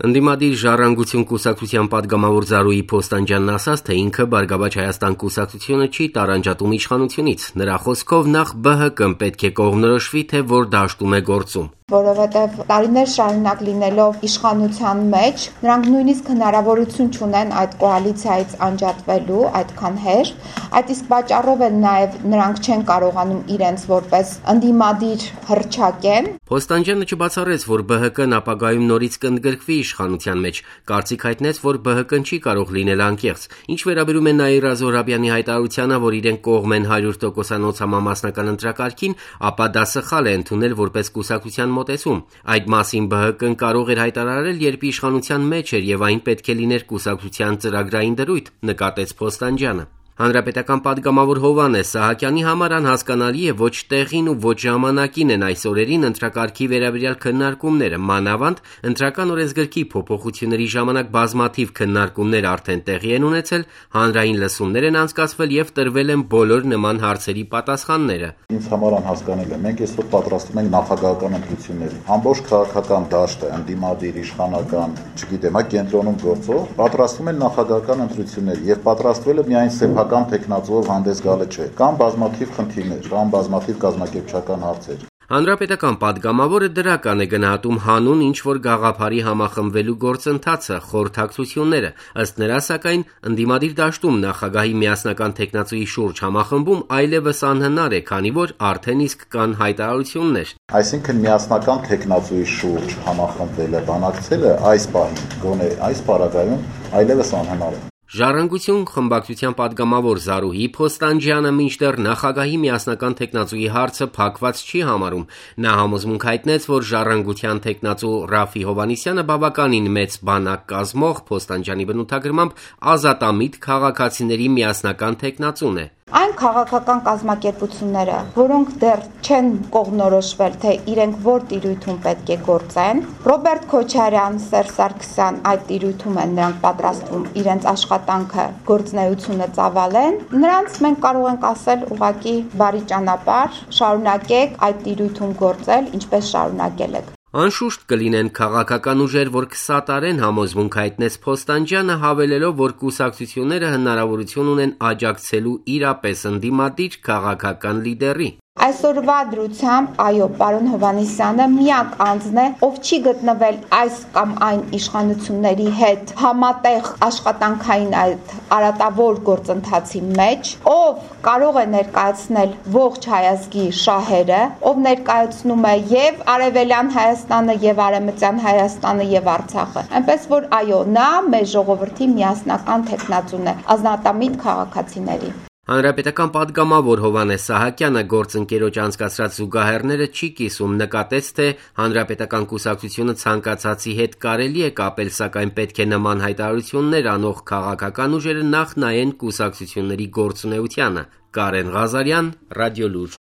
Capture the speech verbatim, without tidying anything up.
Ընդդիմադիր Ժառանգություն կուսակցության պատգամավոր Զարուհի Փոստանջյանն ասաց, թե ինքը Բարգավաճ Հայաստան կուսակցությունը չի տարանջատում իշխանությունից. նրա խոսքով նախ Բ Հ Կն պետք է կողմնորոշվի, թե որ դաշտում է գործում. Որովհետև տարիներ շարունակ լինելով իշխանության մեջ, նրանք նույնիսկ հնարավորություն չունեն այդ կոալիցիայից անջատվելու այդքան հեշտ, այդ իսկ պատճառով էլ նաև նրանք չեն կարողանում իրենց որպես ընդդիմադիր հռչակեն։ Փոստանջյանը չբացառեց, որ Բ Հ Կն ապագայում նորից կընդգրկվի իշխանության մեջ, կարծիք հայտնեց, որ Բ Հ Կն չի կարող լինել անկեղծ։ Ինչ վերաբերում է Նաիրա Զոհրաբյանի հայտարարությանը, որ իրենք կողմ են հարյուր տոկոսանոց համամասնական ընտրակարգին, ապա դա սխալ է ընդունել որպես կուսակցության մոտեցում։ Այդ մասին Բ Հ Կն կարող էր հայտարարել, երբ իշխանության մեջ էր եւ այն պետք է լիներ կուսակցության ծրագրային դրույթ, նկատեց Փոստանջյանը։ Հանրապետական պատգամավոր Հովհաննես Սահակյանի համար անհասկանալի է ոչ տեղին ու ոչ ժամանակին են այս օրերին ընտրակարգի վերաբերյալ քննարկումները, մանավանդ ընտրական օրենսգրքի փոփոխությունների ժամանակ բազմաթիվ քննարկումներ արդեն տեղի են ունեցել, հանրային լսումներ են անցկացվել եւ տրվել են բոլոր նման հարցերի պատասխանները։ Ինձ համար անհասկանալի է, մենք այսօր պատրաստում ենք նախագահական ընտրությունների։ Ամբողջ քաղաքական դաշտը, ընդդիմադիր, իշխանական, չգիտեմ, այ կենտրոնում գործող, պատրաստում են նախագահական ընտրությունների եւ պատրաստվելը միայն սեփական տեխնացուով հանդես գալը չէ, կան բազմաթիվ խնդիրներ, կան բազմաթիվ կազմակերպչական հարցեր։ Հանրապետական պատգամավորը դրական է գնահատում հանուն ինչ-որ գաղափարի համախմբվելու գործընթացը, խորհրդակցությունները, ըստ նրա սակայն ընդդիմադիր դաշտում նախագահի միասնական թեկնածուի շուրջ համախմբում այլևս անհնար է, քանի որ արդեն իսկ կան հայտարարություններ։ Այսինքն միասնական թեկնածուի շուրջ համախմբվելը, բանակցելը այս պահին, գոնե այս պարագայում այլևս անհնար է։ Ժառանգություն խմբակցության պատգամավոր Զարուհի Փոստանջյանը մինչդեռ նախագահի միասնական թեկնածուի հարցը փակված չի համարում։ Նա համոզմունք հայտնեց, որ Ժառանգության թեկնածու Ռաֆի Հովհաննիսյանը բավականին մեծ բանակ կազմող, Փոստանջյանի բնութագրմամբ ազատամիտ քաղաքացիների միասնական թեկնածուն է։ Այն քաղաքական կազմակերպությունները, որոնք դեռ չեն կողմնորոշվել, թե իրենք որ տիրույթում պետք է գործեն, Ռոբերտ Քոչարյան, Սերժ Սարգսյան այդ տիրույթում են նրանք պատրաստվում իրենց աշխատանքը, գործունեությունը ծավալեն, նրանց մենք կարող ենք ասել ուղղակի բարի ճանապարհ, շարունակեք այդ տիրույթում գործել, ինչպես շարունակել եք։ Անշուշտ կլինեն քաղաքական ուժեր, որ կսատարեն, համոզմունք հայտնեց Փոստանջյանը, հավելելով, որ կուսակցությունները հնարավորություն ունեն աջակցելու իրապես ընդդիմադիր քաղաքական լիդերի։ Այսօրվա դրությամբ, այո, պարոն Հովհաննիսյանը միակ անձն է, ով չի գտնվել այս կամ այն իշխանությունների հետ համատեղ աշխատանքային այդ արատավոր գործընթացի մեջ, ով կարող է ներկայացնել ողջ հայազգի շահերը, ով ներկայացնում է եւ Արևելյան Հայաստանը, եւ Արևմտյան Հայաստանը, եւ Արցախը։ Այնպես որ այո, նա մեր ժողովրդի միասնական թեկնածուն է, ազնատամիտ քաղաքացիների։ Հանրապետական պատգամավոր Հովհաննես Սահակյանը գործընկերոջ անցկացրած զուգահեռները չի կիսում, նկատեց, թե հանրապետական կուսակցությունը ցանկացածի հետ կարելի է կապել, սակայն պետք է նման հայտարարություններ անող քաղաքական ուժերը նախ նայեն կուսակցությունների գործունեությանը։ Կարեն Ղազարյան, Ռադիոլուր։